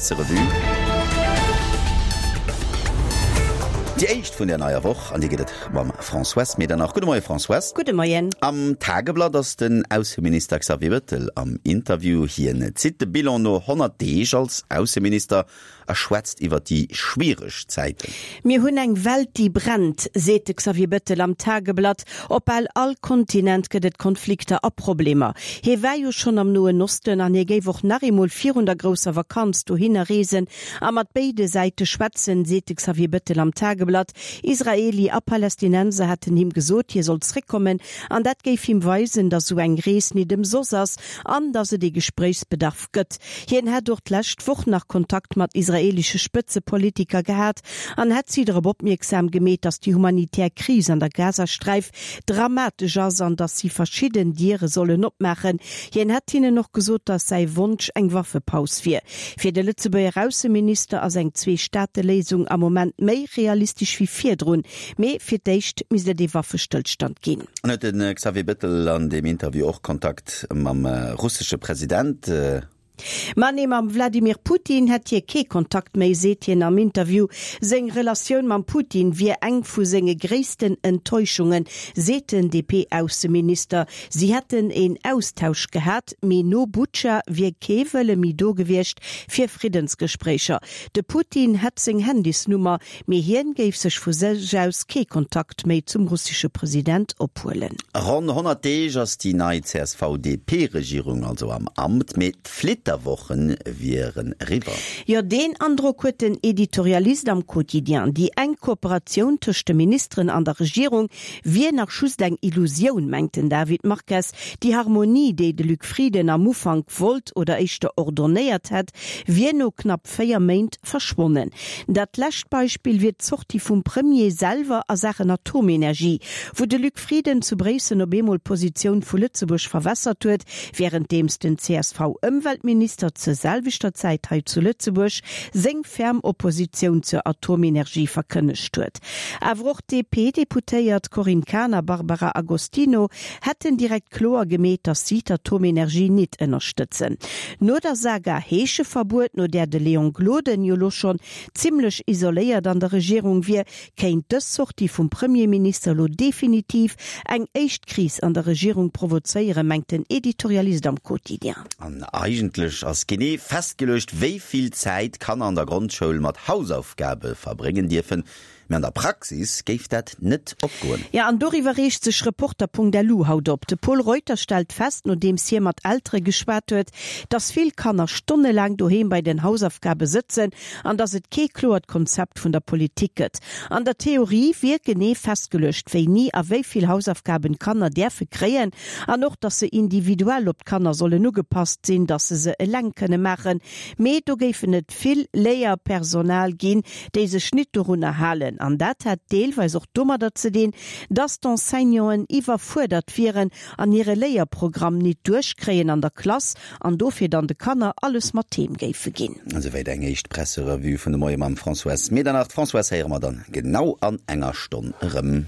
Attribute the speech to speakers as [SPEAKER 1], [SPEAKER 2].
[SPEAKER 1] Presserevue. Déi éischt vun der neier Woch, an déi gëtt et mam Françoise Medernach. Gudde Moie Françoise.
[SPEAKER 2] Gudde Moien.
[SPEAKER 1] Am Tageblatt ass den Ausseminister Xavier Bettel am Interview. Hien zitt de Bilan no 100 Deeg als Ausseminister a schwätzt iwwer déi schwiereg Zäiten.
[SPEAKER 2] Mir hunn eng Welt, déi brennt, seet de Xavier Bettel am Tageblatt. Op bal all Kontinent gëtt et Konflikter a Problemer. Hie war jo schonn am Noen Osten an hie géif och nach eemol virun der grousser Vakanz dohinner reesen a mat béide Säite schwätzen, seet de Xavier Bettel am Tageblatt. Israeli a Palästinenser hätten him gesot, hie soll zréckkommen an dat géif him weisen, datt esou eng Rees nit ëmsoss ass an datt et ee Gespréichsbedarf gëtt. Hien hätt och d'lescht Woch nach Kontakt mat israeelesche Spëtzepolitiker gehat an hätt si drop opmierksam gemeet, datt déi humanitär Kris an der Gazasträif dramatesch ass an datt si verschidden Diere sollen opmaachen. Hien hätt hinnen och gesot, datt säi Wonsch eng Waffepaus wier. Fir de Lëtzebuerger Ausseminister ass eng Zwee-Staate-Léisung am Moment méi realistesch wéi virdrun, mee fir d'éischt misst et ee Waffestëllstand ginn.
[SPEAKER 1] An huet de Xavier Bettel an deem Interview och Kontakt mam russesche President?
[SPEAKER 2] Ma nee, mam Wladimir Putin hätt hie kee Kontakt méi, seet hien am Interview. Seng Relatioun mam Putin wier eng vu senge gréissten Enttäuschungen, seet den DP-Ausseminister. Si hätten een Austausch gehat, mee no Butscha wier kee Wëlle méi do gewiescht fir Friddensgespréicher. De Putin hätt seng Handysnummer, Mee hien géif sech vu sech aus kee Kontakt méi zum russesche President ophuelen.
[SPEAKER 1] Ronn 100 Deeg ass déi nei CSV-DP-Regierung also am Amt, mee d'Flitterwoche wieren eriwwer.
[SPEAKER 2] Jo, deen Androck huet den Editorialist am Quotidien. Déi enk Kooperatioun tëscht de Ministeren an der Regierung wier nach just eng Illusioun, mengt den David Marques. Déi Harmonie, déi de Luc Frieden am Ufank wollt oder éischter ordonnéiert hätt, wier no knapp 4 Méint verschwonnen. Dat lescht Beispill wier d'Sortie vum Premier selwer a Saachen Atomenergie, wou de Luc Frieden zu Bréissel op eemol d'Positioun vu Lëtzebuerg verwässert huet, wärenddeems den CSV-Ëmweltminister zur selwechter Zäit hei zu Lëtzebuerg seng ferm Oppositioun zur Atomenergie verkënnegt huet. Awer och d'DP-Deputéiert Corinne Cahen a Barbara Agostino hätten direkt kloer gemeet, datt si d'Atomenergie nit ënnerstëtzen. No der Saga Heescheverbuet, no där de Léon Gloden jo lo schonn zimmlech isoléiert an der Regierung wier, kéint dës Sortie vum Premierminister lo definitiv eng éischt Kris an der Regierung provozéieren, mengt den Editorialist am Quotidien.
[SPEAKER 1] An eigentlech ass genee festgeluecht, wéi vill Zäit Kanner an der Grondschoul mat Hausaufgabe verbréngen dierfen. Mee an der Praxis géif dat net opgoen.
[SPEAKER 2] Jo, an doriwwer reegt sech Reporter.lu haut op. De Pol Reuter stellt fest, nodeems hie mat Eltere geschwat huet, dass vill Kanner stonnelaang doheem bei den Hausaufgabe sëtzen an dass et kee kloert Konzept vun der Politik gëtt. An der Theorie wier genee festgeluecht, wéini a wéi vill Hausaufgaben d'Kanner däerfe kréien an och, dass se individuell op d'Kanner sollen ugepasst sinn, dass se se eleng kënne maachen. Mee do géifen et vill Léierpersonal ginn, déi sech nit dorunner halen. An dat hätt deelweis och domadder ze dinn, dass d'Enseignanten iwwerfuerdert wieren an hire Léierprogramm nit duerchkréien an der Klass an dofir dann de Kanner alles mat heem géife ginn.
[SPEAKER 1] Esouwäit eng éischt Presserevue vun de Moie mam Françoise Medernach. D'Françoise héiere mer dann genau an enger Stonn erëm.